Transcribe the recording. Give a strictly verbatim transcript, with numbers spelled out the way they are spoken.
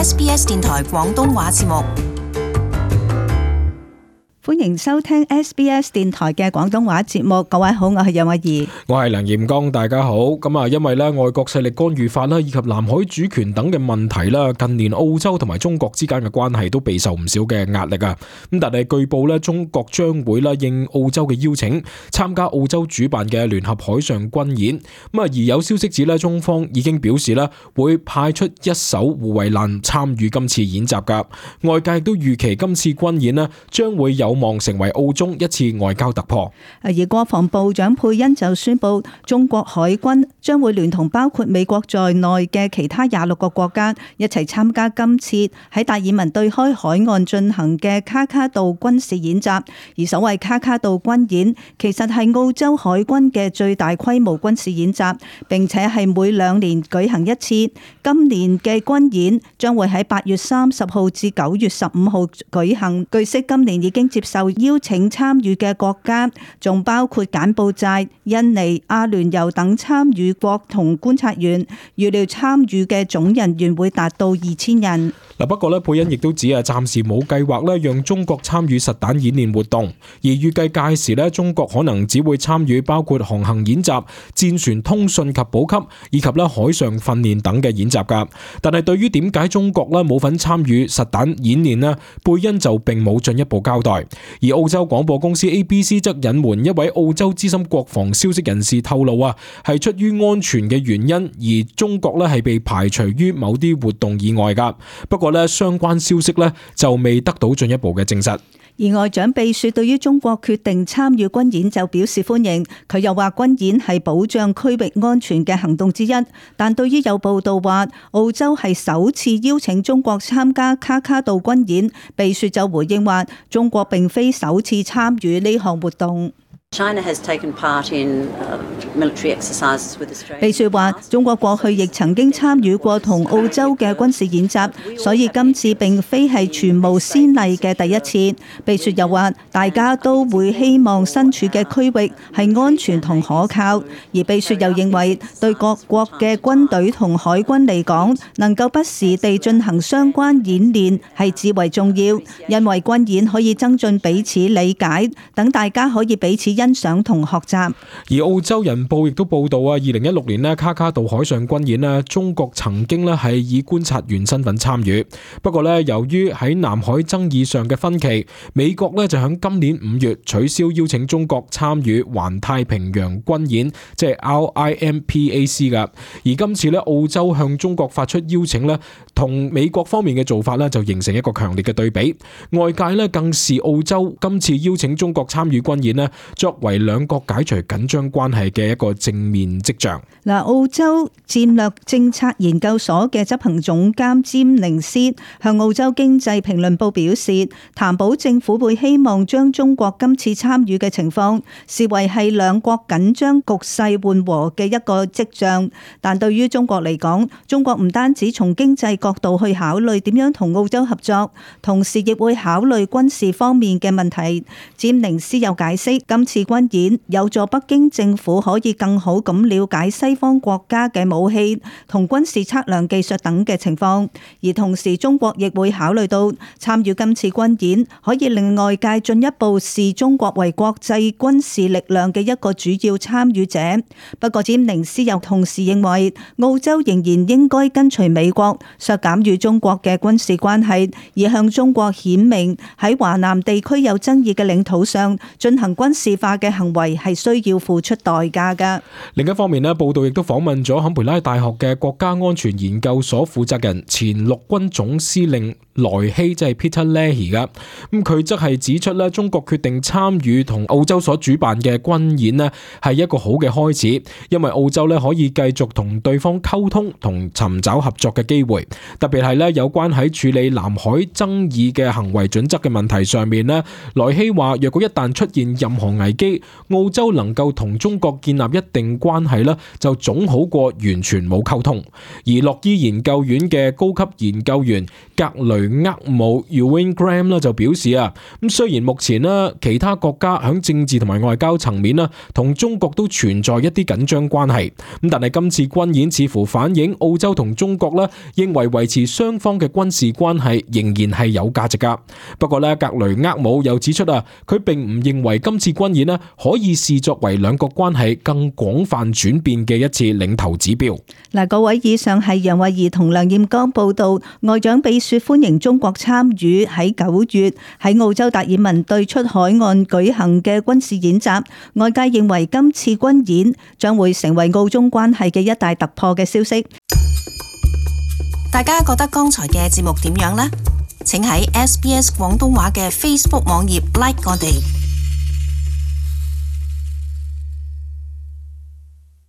S B S 電台廣東話節目。歡迎收聽 S B S 電台嘅廣東話節目。各位好，我係楊慧儀，我係梁炎剛，大家好。咁啊，因為咧外國勢力干預法啦，以及南海主權等嘅問題啦，近年澳洲同埋中國之間嘅關係都備受唔少嘅壓力啊。咁但係據報咧，中國將會啦應澳洲嘅邀請，參加澳洲主辦嘅聯合海上軍演。咁啊，而有消息指咧，中方已經表示啦，會派出一艘護衛艦參與今次演習噶。外界亦都預期今次軍演咧，將會有望成為澳中一次外交突破。而國防部長佩恩就宣布，中國海軍將會聯同包括美國在內嘅其他廿六個國家一齊參加今次喺達爾文對開海岸進行嘅卡卡杜軍事演習。而所謂卡卡杜軍演，其實係澳洲海軍嘅最大規模軍事演習，並且係每兩年舉行一次。今年嘅軍演將會喺八月三十號至九月十五號舉行。據悉，今年已經接受邀請參與嘅國家，仲包括柬埔寨、印尼、阿聯酋等參與國同觀察員，預料參與嘅總人員會達到二千人。嗱，不過咧，佩恩亦都指啊，暫時冇計劃咧讓中國參與實彈演練活動，而預計屆時咧，中國可能只會參與包括航行演習、戰船通訊及補給以及咧海上訓練等嘅演習噶。但係對於點解中國咧冇份參與實彈演練呢，佩恩就並冇進一步交代。而澳洲廣播公司 A B C 則隱瞞一位澳洲資深國防消息人士透露啊，係出於安全嘅原因，而中國咧係被排除於某啲活動以外噶。不過咧，相關消息咧就未得到進一步嘅證實。而外長秘書對於中國決定參與軍演就表示歡迎，佢又話軍演係保障區域安全嘅行動之一。但對於有報道話澳洲係首次邀請中國參加卡卡杜軍演，秘書就回應話中國並非首次參與呢項活動。China has taken part in military exercises with Australia. 秘書話中國過去亦曾經參與過同澳洲嘅軍事演習，所以今次並非係全無先例嘅第一次。秘書又話大家都會希望身處嘅區域係安全同可靠，而秘書又認為對各國嘅軍隊同海軍嚟講，能夠不時地進行相關演練係至為重要，因為軍演可以增進彼此理解，等大家可以彼此欣賞同學習。而澳洲人報亦都報道啊，二零一六年咧卡卡杜海上軍演咧，中國曾經咧係以觀察員身份參與。不過咧，由於喺南海爭議上嘅分歧，美國咧就喺今年五月取消邀請中國參與環太平洋軍演，即係 R I M P A C 噶。而今次咧澳洲向中國發出邀請咧，同美國方面嘅做法咧就形成一個強烈嘅對比。外界咧更視澳洲今次邀請中國參與軍演咧，作為兩國解除緊張關係嘅一個正面跡象。嗱，澳洲戰略政策研究所嘅執行總監詹寧斯向澳洲經濟評論報表示，譚寶政府會希望將中國今次參與嘅情況視為係兩國緊張局勢緩和嘅一個跡象。但對於中國嚟講，中國唔單止從經濟角度去考慮點樣同澳洲合作，同時亦會考慮軍事方面嘅問題。詹寧斯又解釋，今次軍演有助北京政府可以更好咁了解西方國家嘅武器同軍事測量技術等嘅情況，而同時中國亦會考慮到參與今次軍演可以令外界進一步視中國為國際軍事力量嘅一個主要參與者。不過詹寧斯又同時認為，澳洲仍然應該跟隨美國削減與中國嘅軍事關係，而向中國顯明喺華南地區有爭議嘅領土上進行軍事化嘅行為係需要付出代價㗎。另一方面咧，報道亦都訪問咗坎培拉大學嘅國家安全研究所負責人前陸軍總司令萊希，即係 Peter Leahy 噶。咁佢則係指出咧，中國決定參與同澳洲所主辦嘅軍演咧，係一個好嘅開始，因為澳洲咧可以繼續同對方溝通同尋找合作嘅機會。特別係咧有關喺處理南海爭議嘅行為準則嘅問題上面咧，萊希話若果一旦出現任何危機，澳洲能夠同中國建立一定關係咧，就總好過完全冇溝通。而洛伊研究院嘅高級研究員格雷厄姆 Ewan Graham 咧就表示啊，咁雖然目前咧其他國家響政治同埋外交層面咧同中國都存在一啲緊張關係，咁但係今次軍演似乎反映澳洲同中國咧認為維持雙方嘅軍事關係仍然係有價值噶。不過咧，格雷厄姆又指出啊，佢並唔認為今次軍演咧可以視作為兩國關係更廣泛轉變嘅一次領頭指標。嗱，各位，以上係楊慧儀同梁艷剛報道，外長比雪歡迎中國參與喺九月喺澳洲達爾文對出海岸舉行嘅軍事演習。外界認為今次軍演將會成為澳中關係嘅一大突破嘅消息。大家覺得剛才嘅節目點樣呢？請喺 S B S 廣東話嘅 Facebook 網頁 like 我哋。